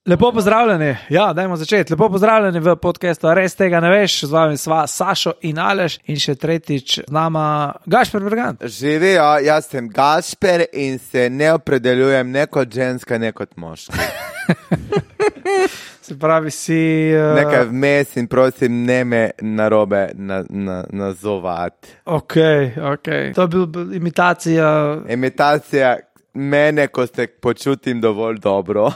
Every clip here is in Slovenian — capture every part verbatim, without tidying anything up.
Lepo pozdravljeni, ja, dajmo začeti. Lepo pozdravljeni v podcastu Res tega ne veš, z vami sva Sašo in Aleš in še tretjič z nama Gašper Bergant. Živijo, jaz sem Gašper in se ne opredeljujem ne kot ženska, ne kot moški. Se pravi si... Uh... Nekaj vmes in prosim ne me narobe na, na, nazovati. Ok, ok. To je bil imitacija... Imitacija... Mene, ko se počutim dovolj dobro.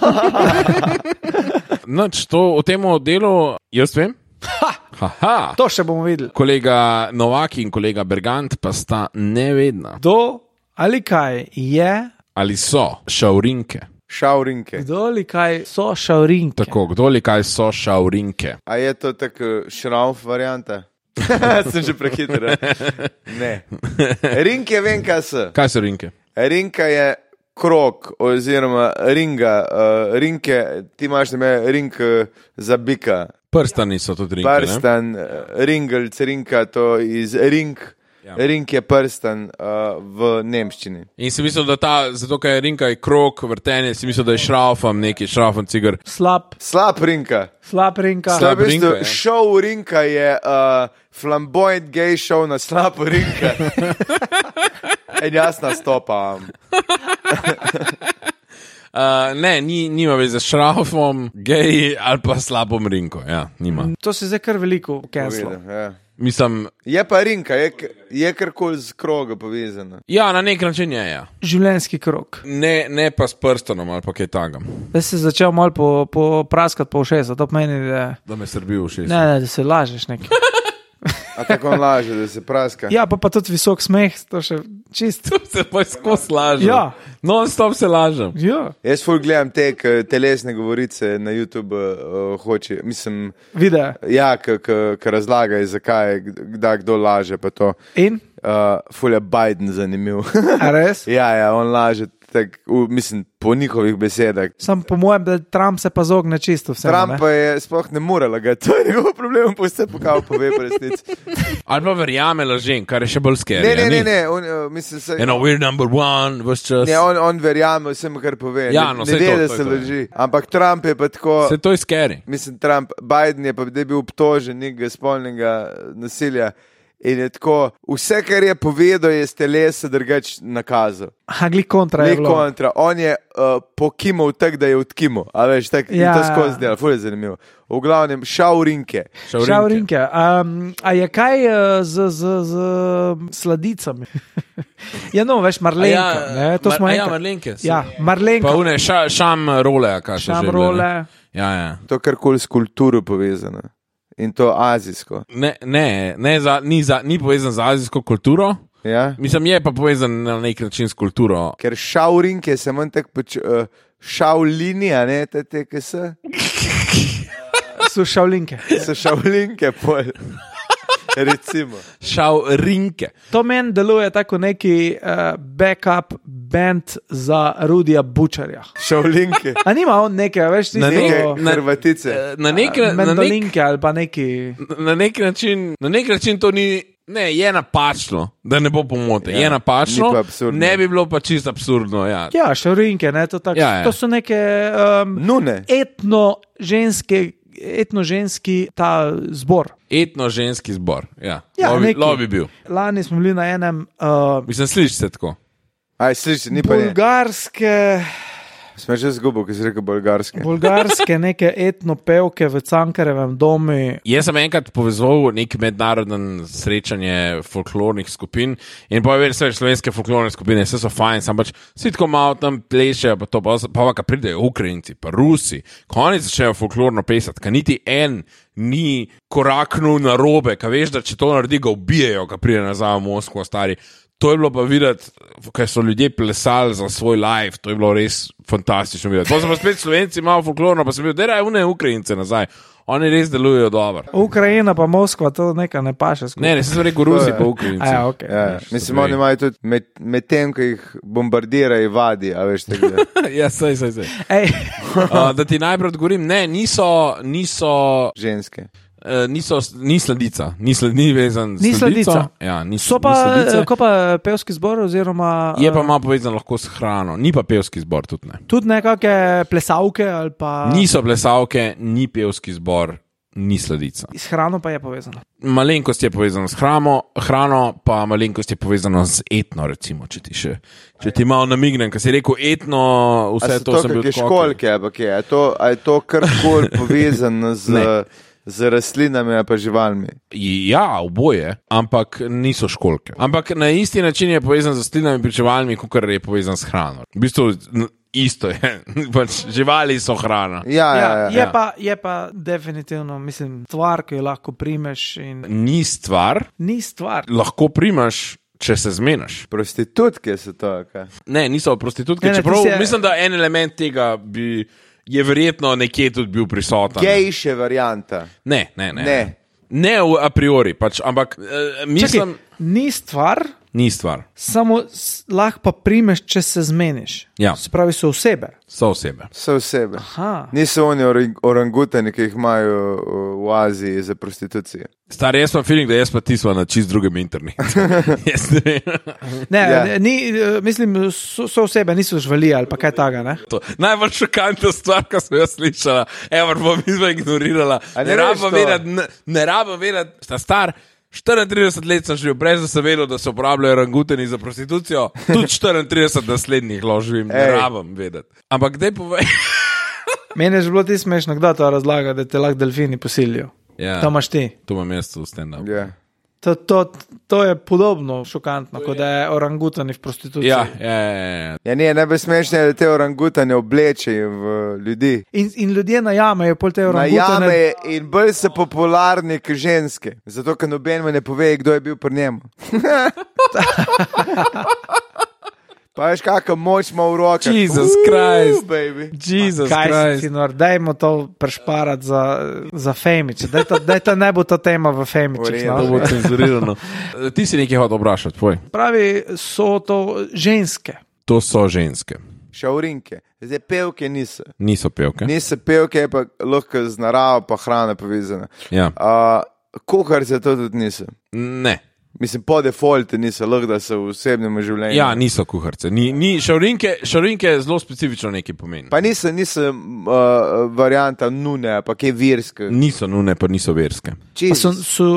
Noč, to o tem delu, jaz vem. Ha! Haha. To še bomo videli. Kolega Novak in kolega Bergant pa sta nevedna. Kdo ali kaj je... Ali so šaurinke. Šaurinke. Kdo ali kaj so šaurinke. Tako, kdo ali kaj so šaurinke. A je to tako šrauf varianta? Sem že prehiter. Ne. Rinke vem, kaj so. Kaj so rinke? Rinka je krog oziroma ringa. Uh, rinke, ti imaš neme ring uh, za bika. Prstani so tudi rinke, Prstan, ne? Ringelc, rinka, to iz ring. Ja. Ring je prstan uh, v nemščini. In si mislil, da ta, zato kaj je rinka je krog, vrtenje, si mislil, da je šraufam neki, šraufam cigar. Slab. Slab rinka. Slab rinka. Slab v bistvu, rinka, ja. Šov rinka je uh, flamboyant gay show na slab rinka. In jaz nastopam. Uh, ne, ni, nima veze s šraufom, gej ali pa slabom rinko. Ja, nima. To se zdaj kar veliko cancelo. Ja. Mislim, Je pa rinka, je, je karkoli z kroga povezana. ja, na nek način je, ja. Življenjski krog. Ne, ne pa s prstanom ali pa kaj tagam. Zdaj si začel malo po, po praskati po ušesa, to pomeni, da... Da me srbi v šest. Ne, ne, da se lažeš nekaj. A tako on laže, da se praska. Ja, pa pa tudi visok smeh, to še čisto. Se pa skozi lažem. Ja. Non-stop se lažem. Ja, Jaz ful gledam te k, telesne govorice na YouTube, uh, hoče, mislim, videa. ja, ki razlagajo, zakaj, kdaj kdo laže, pa to. In? Uh, ful je Biden zanimiv. A res? ja, ja, on laže, tak, v, mislim, po njihovih besedah. Sam po mojem, da Trump se pa zogne čisto vse. Trump pa je sploh ne more lagati, to je njegov problem, pa vse pokal pove po resnici. Ali pa verjame lažem, kar je še bolj scary. Ne, ne, a ne, ni? ne, on, uh, mislim, se, You know, we're number one, was just... ne, on, on verjame vsem, kar pove. Ja, ne no, ne saj ve, to, da to je se to, laži. Ampak Trump je pa tako... Se to je scary. Mislim, Trump, Biden je pa da je bil obtožen nekega spolnega nasilja in je tako, vse, kar je povedal, je z telesa drugač nakazal. Ha, gli kontra je Ni bilo. kontra, on je uh, pokimal tak, da je odkimal, a veš, tak, ja, in to skozi dela, ful je zanimivo. V glavnem, šaurinke. Šaurinke. Um, a je kaj uh, z, z, z sladicami? ja, no, veš, marlenka. Ja, ne, to mar, smo ja, enkrat. marlenke. Ja, marlenka. Pa une, ša, šam role, kaj še Šam že. role. Ja, ja. To karkoli s kulturo povezano. In to azijsko. Ne, ne, ne za, ni, za, ni povezan z azijsko kulturo. Ja? Mislim, je pa povezan na nek način s kulturo. Ker šaurinke se manj tako pač, uh, šaulinija, ne, te te, ki so. So šavlinke. So šaulinke, pol. Recimo. Šaurinke. To meni deluje tako neki uh, backup band za Rudija Bučarja. Šaulinke. A nima on neke, veš, ti Na Neke nek- na- Hrvatice. Na nek, na, nek, mendolinke ali pa neki... na nek način, na nek način to ni, ne, je napačno, da ne bo pomote. Ja, je napačno, ni pa absurdno. ne bi bilo pa čisto absurdno. Ja. Ja, šavrinke, ne, to tako. Ja, ja. To so neke um, Nune. etno-ženske, etno-ženski ta zbor. Etno-ženski zbor. Ja. Ja, Lov bi- neki. lov bi bil. Lani smo bili na enem uh, Mislim, sliši se tako. Aj, sliši, ni pa ne. bulgarske, Smo že zgubil, ko si rekel bolgarske. bulgarske neke etno-pevke v Cankarevem domu. Jaz sem enkrat povezal nek mednarodno srečanje folklornih skupin in pa je vse slovenske folklorne skupine, vse so fajn, sam pač si tako malo tam plešejo, pa to pa, pa, pa pridejo Ukrajinci, pa Rusi, ko oni začnejo folklorno pesati, ka niti en ni koraknul na robe, ka veš, da če to naredi, ga ubijejo, ka pride nazaj v Moskvo, stari. To je bilo pa videti, kaj so ljudje plesali za svoj live, to je bilo res fantastično videti. Potem so pa spet Slovenci malo folklorno, pa sem bil, da je une Ukrajince nazaj. Oni res delujejo dobro. Ukrajina pa Moskva, to nekaj ne paše skupaj. Ne, ne, sem rekel Rusi pa Ukrajinci. A ja, ok. Ja, mislim, oni imajo tudi med, med tem, ko jih bombardirajo, vadi, a veš tega. ja, sej, sej, sej. Ej, Uh, da ti najprej odgovorim, ne, niso, niso Ženske. Uh, niso, ni sledica, ni, sled, ni vezan Ni s sledico. sledica. Ja, ni, So pa, ni sledice. ko pa pevski zbor oziroma... Je pa malo povezan lahko s hrano, ni pa pevski zbor tudi ne. Tudi nekakve plesavke ali pa... Niso plesavke, ni pevski zbor, ni sledica. S hrano pa je povezano. Malenkost je povezana s hrano, hrano pa malenkost je povezana z etno, recimo, če ti še, če ti malo namignem, ker si rekel etno, vse to, to sem bil odskoken. Školke, ampak je, a je to, a je to karkoli povezano z, z rastlinami ali pa živalmi? Ja, oboje, ampak niso školke. Ampak na isti način je povezan z rastlinami in živalmi, kot je povezan s hrano. V bistvu isto je, pač živali so hrana. Ja, ja, Ja, ja, je, ja. pa, je pa definitivno, mislim, stvar, ki jo lahko primeš in Ni stvar, ni stvar. lahko primaš, če se zmeniš. Prostitutke so to, kaj? Ne, niso prostitutke, Ne, ne, čeprav ti si- mislim, da en element tega bi, je verjetno nekje tudi bil prisoten. Gejše varianta. Ne, ne, ne. Ne. Ne v a priori, pač, ampak uh, mislim, Čakaj, ni stvar, ni stvar. samo s- lahko pa primeš, če se zmeniš. Ja. Se pravi, so osebe. So osebe. So osebe. Aha. Niso oni orang- orangutani, ki jih imajo uh, v Aziji za prostitucijo. Star, jaz pa feeling, da jaz pa ti sva na čist drugem internetu. Jaz ne vem. Ne, Ja. ja. ni, eh, mislim, so, so osebe, niso živali ali pa kaj takega. Ne? To. Najbolj šokantna stvar, ki sem jo slišala, evo, bom izva ignorirala. A ne Ne veš rabim to? vedeti, ne, ne rabim vedeti, sta star. štiriintrideset let sem živel, brez da sem vedel, da se uporabljajo orangutani za prostitucijo. Tudi štiriintrideset naslednjih loživim, ne Ej. rabim vedeti. Ampak kdaj povej? Meni je že bilo ti smešno, kdo to razlaga, da te lahko delfini posilijo. Ja, To imaš ti. to imam jaz v stand-up. Ja. To, to, to je podobno šokantno, kot da je orangutani v prostituciji. Ja, ja, ja, ja. Ja, ne, najbolj smešno je, da te orangutane oblečejo v ljudi. In, in ljudje najamejo pol te orangutane. Najame in bolj so popularni kot ženske, zato ker noben mi ne pove, kdo je bil pri njemu. Pa veš, kakšno moč ima v rokah. Jesus Uuu, Christ. baby. Jesus Kaj si, Christ. sinor, dajmo to prešparati za, za Femič. Daj to, daj to ne bo to tema v Femičih. V redu. To No. bo cenzurirano. Ti si nekaj hotel vprašati, tvoj. Pravi, so to ženske. To so ženske. Šaurinke. Zdaj pevke niso. Niso pevke. Niso pevke, pa lahko z naravo pa hrana povezana. Ja. Uh, kuharice to tudi niso. Ne. Mislim, po defaultu niso, lahko da so v osebnem življenju. Ja, niso kuharce. Ni, ni, šaurinke, šaurinke zelo specifično nekaj pomeni. Pa niso, niso uh, varianta nune, pa kaj virske. Niso nune, pa niso verske. Pa so, so,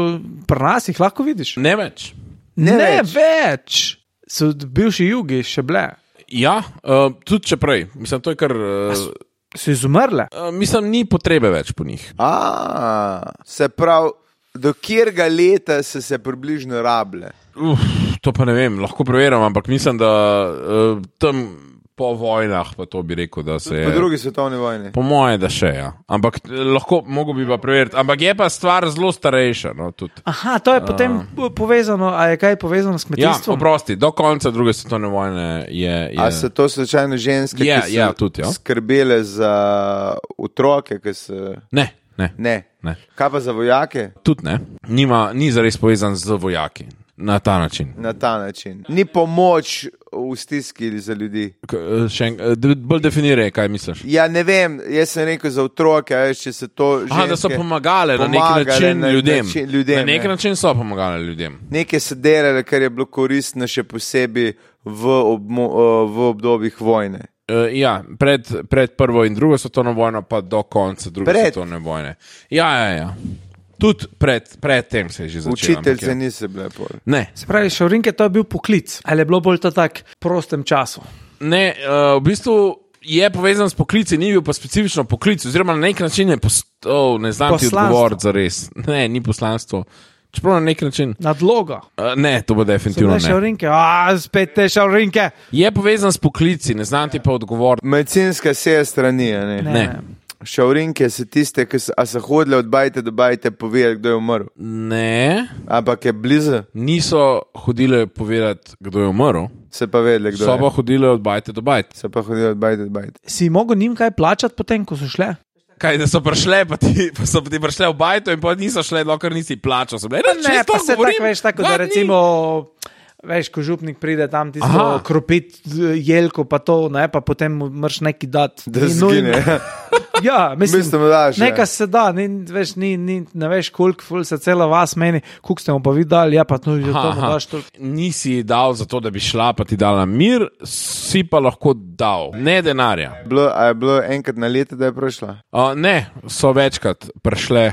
pri nas jih lahko vidiš. Ne več. Ne ne več. več. So bivši jugi še bile. Ja, uh, tudi če prej. Mislim, to je kar. Uh, So izumrle. uh, mislim, ni potrebe več po njih. A, se pravi, do kjerga leta so se približno rable. Uf, to pa ne vem, lahko preverim, ampak mislim, da uh, tam po vojnah, pa to bi rekel, da se je. Po drugi svetovni vojni. Po moje, da še je. Ja. Ampak eh, lahko, mogo bi pa preveriti. Ampak je pa stvar zelo starejša. No, tudi. Aha, to je potem povezano, a je kaj povezano s Ja, kmetijstvom? oprosti, do konca druge svetovne vojne je. je... A so to slučajno ženske, Ja, ki so ja, tudi, ja. skrbele za otroke, ki so... Ne, ne, Ne. ne. Kaj pa za vojake? Tudi ne. Nima, ni zares povezan z vojaki na ta način. Na ta način. Ni pomoč v stiski za ljudi. K, eh, še en, eh, d- bolj definiraj, kaj misliš. Ja, ne vem, jaz sem rekel za otroke, a veš, če se to ženske... Aha, da so pomagale na nek pomagale način na ljudem. način ljudem, Na nek ja. način so pomagale ljudem. Nekaj so delali, kar je bilo koristno še posebej v, obmo, v obdobjih vojne. Uh, ja, pred, pred prvo in drugo svetovno vojno, pa do konca druge Pred? svetovne vojne. Ja, ja, ja. Tudi pred, pred tem se je že začelo. Učiteljce ampak ja. niso bile pol. Ne, Se pravi, šaurinke, to je bil poklic. Ali je bilo bolj to tak prostem času? ne uh, v bistvu je povezan s poklici, ni bil pa specifično poklic, oziroma na nek način je postal, ne znam ti Poslanstvo. odgovoriti za res. Ne, ni poslanstvo. Čeprav na nek način. Nadloga. Uh, ne, to bo So definitivno bile ne. šaurinke, a spet te šaurinke. Je povezan s poklici, ne znam ti pa odgovoriti. Medicinska sestra ni, a ne. Ne. Ne. Šaurinke so tiste, ki so, a so hodile od bajte do bajte povedati, kdo je umrl. Ne, Ampak je blizu, niso hodile povedati, kdo je umrl, se pa vedeli, kdo so je. pa hodile od bajte do bajte. So pa hodile od bajte do bajte. Si mogel njim kaj plačati potem, ko so šle? Kaj, da so prišle, pa, ti, pa so ti prišle v bajto in pa niso šle, dokler nisi plačal. So bile, Ne, pa se tako veš, tako da recimo Veš, ko župnik pride tam, ti smo kropit jelko, pa to, ne, pa potem moraš neki dati. Da zgine. Ja, mislim, Mislim, daš, nekaj se da, ni, veš, ni, ni, ne veš, koliko ful se cela vas meni, koliko ste mu pa vi dali, ja, pa no, že to mu daš toliko. Nisi dal za to, da bi šla, pa ti dala mir, si pa lahko dal, ne denarja. Bilo, a je bilo enkrat na leto, da je prišla? Uh, ne, so večkrat prišle,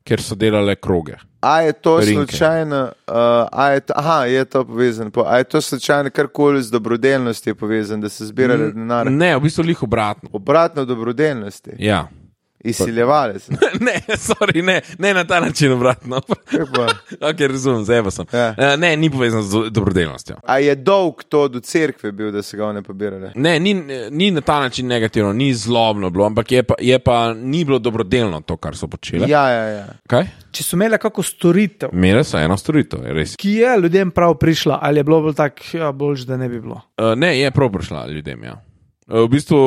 ker so delale kroge. A je to Rinke. slučajno, uh, a je to, aha, je to povezano, a je to slučajno karkoli z dobrodelnosti je povezano, da se zbirali denar? Ne, v bistvu lih obratno. Obratno dobrodelnosti. Ja. Izsiljevali se. ne, sorry, ne, ne na ta način obratno. ok, razumem, zdaj pa sem. Ja. Uh, ne, ni povezano z dobrodelnostjo. A je dolg to do cerkve bil, da se ga one pobirale? Ne, ni, ni na ta način negativno, ni zlobno bilo, ampak je pa, je pa ni bilo dobrodelno to, kar so počele. Ja, ja, ja. Kaj? Če so imeli kako storitev, Imele so eno storitev, je res. ki je ljudem prav prišla, ali je bilo bolj tak, ja, boljš, da ne bi bilo. Uh, ne, je prav prišla ljudem, ja. Uh, v bistvu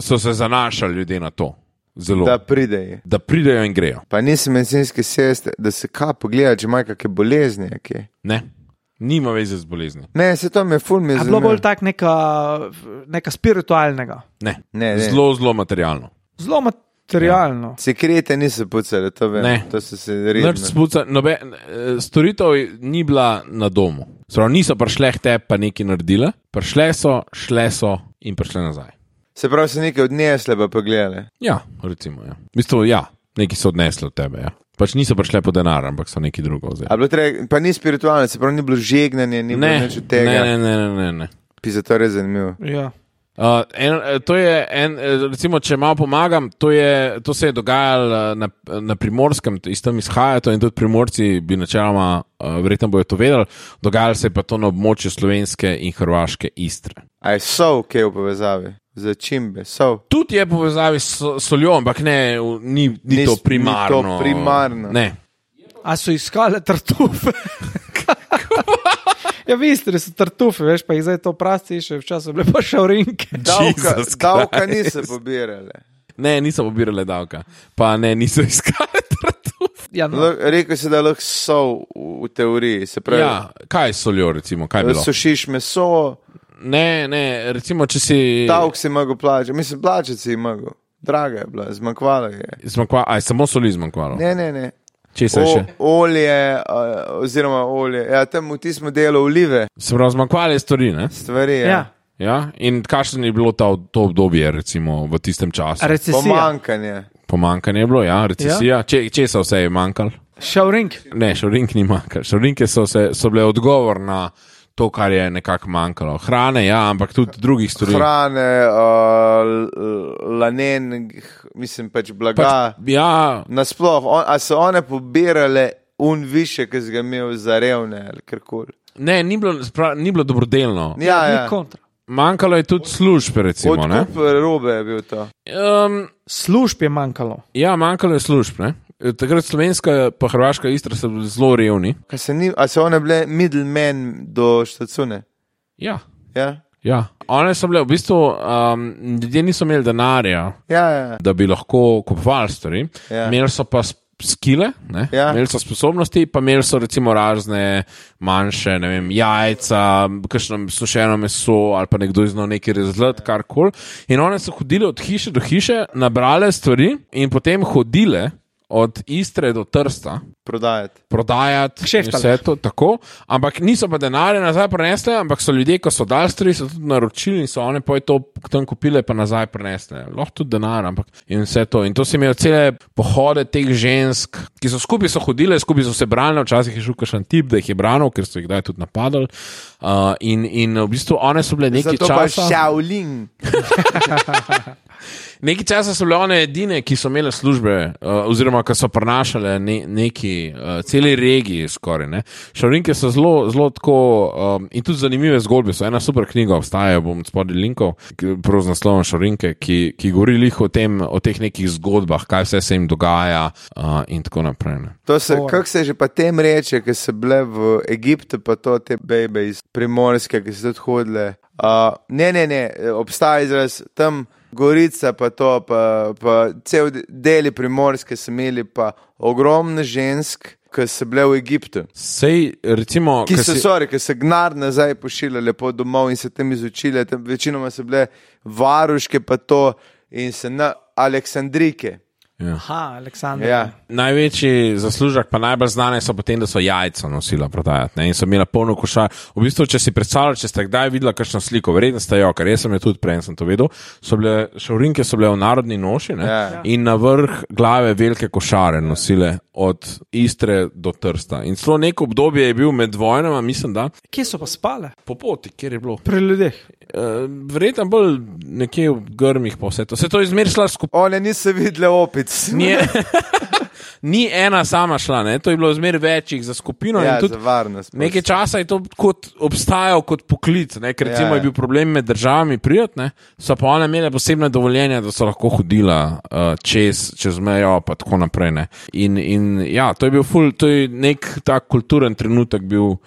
so se zanašali ljudje na to. Zelo. Da pridejo. Da pridejo in grejo. Pa nisi medicinske sestre, da se kaj pogleda, če imajo kakšne bolezni. Okay. Ne, nima veze z bolezni. Ne, se to me ful mi je A bilo zanimivo. bolj tak neka, neka spiritualnega, Ne, Ne, ne. zelo, zelo materialno. zelo materialno. Sekrete niso pucali, to vem. Ne. To so se Nič redno. spuca, nobe, eh, storitev ni bila na domu. Sprav, niso prišle k tebi pa nekaj naredile, prišle so, šle so in prišle nazaj. Se pravi, so nekaj odnesle pa pogledale. Ja, recimo, ja. V bistvu, ja, nekaj so odnesli od tebe, ja. Pač niso prišle po denar, ampak so nekaj drugo vzeli. A bilo treba, pa ni spiritualno, se pravi, ni bilo žegnanje, ni Ne, bilo nič od tega. ne, ne, ne, ne, ne. Pisa, to je res zanimivo. Ja. Uh, en, to je en, recimo, če malo pomagam, to, je, to se je dogajalo na, na Primorskem, iz tam izhaja to in tudi Primorci bi načeloma, uh, verjetno bojo to vedeli, dogajalo se je pa to na območju slovenske in hrvaške Istre. A je sol, kaj je v povezavi? Za čimbe, sol. Tudi je povezavi s soljo, ampak ne, ni, ni, Ni- to ni primarno. to primarno. Ne. A so iskale tartufe? Ja, v Istri so tartufe, veš, pa jih zdaj to prasti, še včasih bile pa šaurinke. Davka, Jesus davka Christ. niso pobirale. Ne, niso pobirale davka, pa ne, niso iskali tartuf. Ja, no. Lo- Rekel si, da lahko sol v, v teoriji, se pravi, Ja, kaj s soljo, recimo, kaj je bilo? sušiš meso, Ne, ne, recimo, če si... davk si mogel plačati, mislim, plačati si mogel. Draga je bila, zmanjkvala je. Zmanjkva, aj, samo soli zmanjkvalo. Ne, ne, ne. Česa je še? O, olje, uh, oziroma olje, ja, tam v tistem delu olive, Se pravi, zmanjkvale stvari, ne? stvari, ja. Ja. Ja, in kakšno je bilo ta, to obdobje, recimo, v tistem času? Recesija. Pomankanje. Pomankanje je bilo, ja, recesija. Ja. Če, česa vse je manjkalo? Šaurink. Ne, šorink ni manjkalo. Šorinke so, se, so bile odgovor na to, kar je nekako manjkalo. Hrane, ja, ampak tudi drugih stvari. Hrane, uh, lanen, mislim pač blaga. Pač, ja, Nasploh, on, a so one pobirale un više, ki si ga imel za revne ali karkoli. ne, ni bilo, spra, ni bilo dobrodelno. Ja, Ni ja. kontra. Manjkalo je tudi služb, recimo. Ne? Odkup robe je bil to. Um, Služb je manjkalo. ja, manjkalo je služb. Ne? Takrat slovenska pa hrvaška Istra so bili zelo revni. Kaj se ni, a so one bile middlemen do štacune? Ja. Ja, Ja, one so bile v bistvu, um, ljudje niso imeli denarja, ja, ja. da bi lahko kupovali stvari, Ja. imeli so pa sp- skile, ne? Ja. Imeli so sposobnosti, pa imeli so recimo razne manjše, ne vem, jajca, kakšno sušeno meso ali pa nekdo znal nekaj razlati, karkoli. In one so hodile od hiše do hiše, nabrale stvari in potem hodile od Istre do Trsta. Prodajati. Prodajati in Kšeftale. vse to tako, ampak niso pa denarja nazaj prenesle, ampak so ljudje, ko so dali stvari, so tudi naročili in so one poj to tam kupile pa nazaj prenesle. Lahko tudi denar, ampak in vse to. In to si imel cele pohode teh žensk, ki so skupaj so hodile, skupaj so se branile, včasih je šel kakšen tip, da jih je branil, ker so jih kdaj tudi napadali. Uh, in, in v bistvu one so bile nekaj Zato pa časa. Shaolin. Nekaj časa so bile one edine, ki so imele službe, uh, oziroma ki so prenašale ne, neki, uh, celi regiji skoraj. Ne. Šaurinke so zelo, zelo tako, um, in tudi zanimive zgodbe so. Ena super knjiga obstaja, bom spodaj linkov, ki- prav z naslovom Šaurinke, ki, ki govori lih o, tem, o teh nekih zgodbah, kaj vse se jim dogaja uh, in tako naprej. Ne. To se, kako se že pa tem reče, ki so bile v Egiptu, pa to te bebe iz Primorske, ki so tudi hodile. Uh, ne, ne, ne, obstaja izraz tam Gorica, pa to, pa, pa cel deli Primorske so imeli pa ogromno žensk, ki so bile v Egiptu. Sej, recimo, Ki so, si... sorry, ki so gnar nazaj pošiljali lepo domov in se tam izučili, tam večinoma so bile varuške pa to in se na Aleksandrike. Ja. Aha, Aleksandr. Ja. Največji zaslužek, pa najbolj znane so potem, da so jajca nosila prodajati, ne? In so imela polno košar. V bistvu, če si predstavljala, če ste kdaj videla kakšno sliko, verjetno ste jo, ker jaz sem jo tudi prej sem to vedel, so bile, šaurinke so bile v narodni noši, ne? Ja. In na vrh glave velike košare nosile od Istre do Trsta. In celo neko obdobje je bil med vojnama, mislim, da Kje so pa spale? po poti, kjer je bilo. Pri ljudeh. Uh, verjetno bolj nekje v grmih pa vse to. Se to je zmer šla skupaj. One niso videle opic. Ni, ni ena sama šla, ne? To je bilo zmer večjih za skupino. Ja, in tudi za varnost. nekaj časa je to kot obstajal kot poklic, ne? Ker recimo Ja, ja. je bil problem med državami prijat, ne? So pa one imele posebne dovoljenja, da so lahko hodila uh, čez, čez mejo pa tako naprej. Ne? In, in ja, to je bil ful, to je nek tak kulturen trenutek bil uh,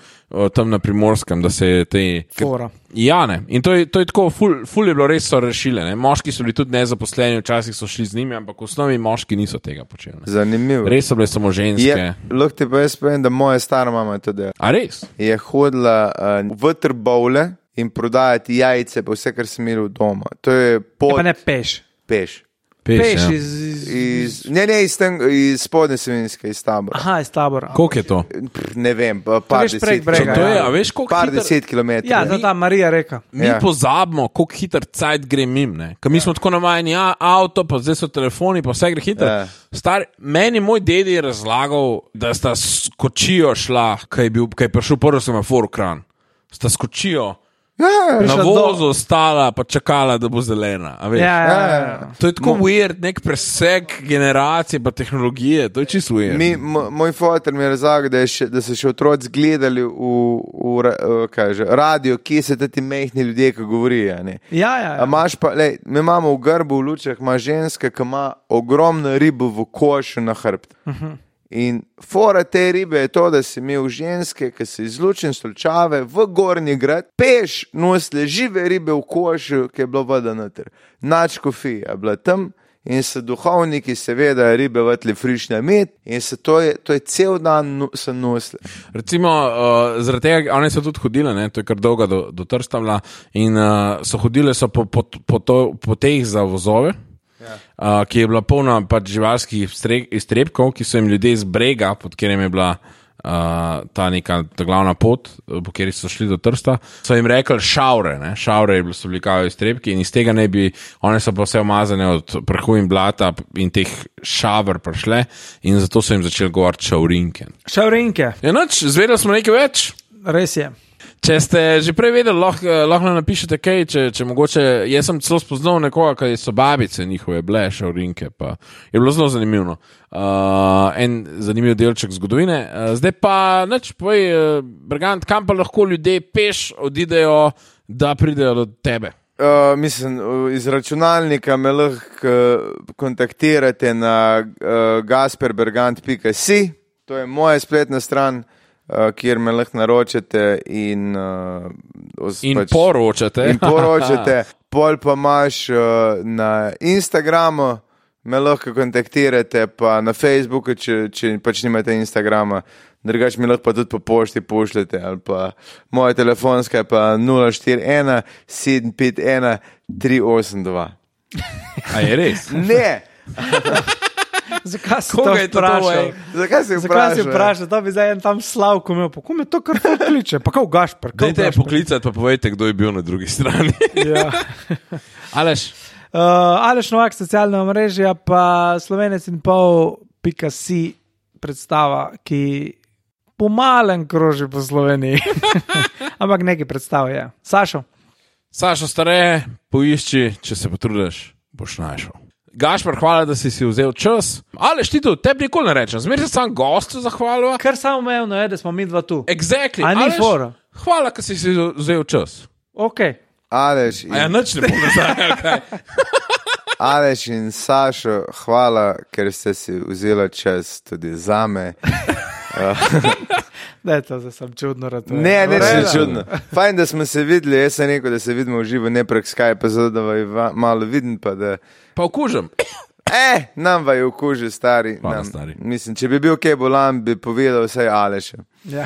tam na Primorskem, da se je te... Fora. Ja, ne. In to je, to je tako, ful, ful je bilo res so rešile. Ne? Moški so bili tudi nezaposleni, včasih so šli z njimi, ampak v osnovi moški niso tega počeli. Ne? Zanimivo. Res so bile samo ženske. Je, lahko ti pa jaz povem, da moja stara mama je to delala. A res? Je hodila uh, v trbovle in prodajati jajce, pa vse, kar sem imel doma. To je Je pot pa ne peš. peš. Peš, Peš ja. iz, iz, Iz, ne, ne, iz, ten, iz spodne Savinjske, iz Tabora. Aha, iz Tabora. Koliko je to? Pff, Ne vem, pa par greš prek deset, brega, To je, ja. a veš, koliko par hiter, deset kilometrov. Ja, to ta Marija reka. mi Ja. pozabimo, koliko hiter cajt gre mim, ne? Ker mi smo tako navajeni, ja, avto, pa zdaj so telefoni, pa vse gre hiter. Ja. Star, meni moj dedi je razlagal, da sta skočijo šla, kaj je, bil, kaj je prišel prvi semafor v Kranj. Sta skočijo, Ja, na Prišla vozu stala, pa čakala, da bo zelena. A veš? Ja, ja, ja, Ja, ja. To je tako weird, nek preseg generacije pa tehnologije, to je čisto weird. Mi, mo- moj fotor mi je razlagal, da, je še, da so še otroci gledali v, v, ra- v kaj že, radio, kje se ti mehni ljudje, ki govorijo. a ne. Ja, ja, A ja. imaš pa, lej, mi imamo v grbu v lučah, ima ženska, ki ima ogromno ribo v košu na hrbtu. Uh -huh. In fora te ribe je to, da si imel ženske, ki se izlučen stolčave v Gornji grad, peš nosile žive ribe v košu, ki je bilo voda noter. Nač kofija je bila tam in so duhovniki seveda ribe vatli frišne med in se to je, to je cel dan no, so nosile. Recimo, uh, zaradi tega, one so tudi hodile, ne, to je kar dolga do, do Trsta bila, in uh, so hodile so po, po, po, to, po teh za vozove. Ja. Uh, ki je bila polna pač živalskih iztrebkov, ki so jim ljudje z brega, pod katerim je bila uh, ta neka ta glavna pot, po kateri so šli do Trsta, so jim rekli šaure, ne? Šaure so bili kao iztrebki in iz tega ne bi, one so pa vse umazane od prahu in blata in teh šavr prišle in zato so jim začeli govoriti šaurinke. Šaurinke, Ja, noč, zvedeli smo nekaj več. res je. Če ste že prej vedeli, lahko, lahko nam napišete kaj, če, če mogoče, jaz sem celo spoznal nekoga, ki so babice njihove bile, šaurinke, pa je bilo zelo zanimivo. Uh, en zanimiv delček zgodovine. Uh, zdaj pa, nič, povej, uh, Bergant, kam pa lahko ljudje peš odidejo, da pridejo do tebe? Uh, mislim, uh, iz računalnika me lahko uh, kontaktirate na uh, gasperbergant pika si, to je moja spletna stran, uh, kjer me lahko naročate in, uh, os, In pač, poročate. in poročate. Pol pa imaš uh, na Instagramu, me lahko kontaktirate, pa na Facebooku, če, če pač nimate Instagrama. Drugač mi lahko pa tudi po pošti pošljete, ali pa moja telefonska je pa nula štiri ena sedem pet ena tri osem dva. A je res? Ne, Zakaj si Koga to je to vprašal? to, ej? zakaj si Zakaj si vprašal? vprašal, da bi zdaj en tam Slavko imel? Pa kom je to kar ful kliče? Pa kao Gašper. kao Dajte Gašper. poklicati, pa povejte, kdo je bil na drugi strani. Ja. Aleš, Uh, Aleš Novak, socialna omrežja, pa slovenec in pol, pika si predstava, ki pomalen kroži po Sloveniji. Ampak nekaj predstav je. Sašo, Sašo stare, poišči, če se potrudiš, boš našel. Gašpar, hvala, da si si vzel čas. Aleš, ti tu, tebi nikoli ne rečem, zmeraj se sam gostu zahvaljujem. kar samo umevno je, da smo mi dva tu. Exactly. A ni Aleš, fora? hvala, da si si vzel čas. Ok. Aleš A ja, in, nič ne bom nazaj, kaj. Aleš in Sašo, hvala, ker ste si vzeli čas tudi za me. Da je to, zdaj sem čudno rad. Ne, ne, Ureda. ne, čudno. Fajn, da smo se videli, jaz sem rekel, da se vidimo v živo, ne prek Skype, zato da vas malo vidim, pa da... Pa okužem. Eh, nam vaju okuži, stari. Hvala, nam. stari. Mislim, če bi bil kaj bolan, bi povedal vsaj Aleš. Ja.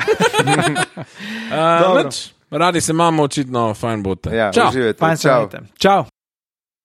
Uh, radi se imamo, očitno, fajn bote. Ja, Čau. uživajte. Fajn se Čau. imejte. Čau.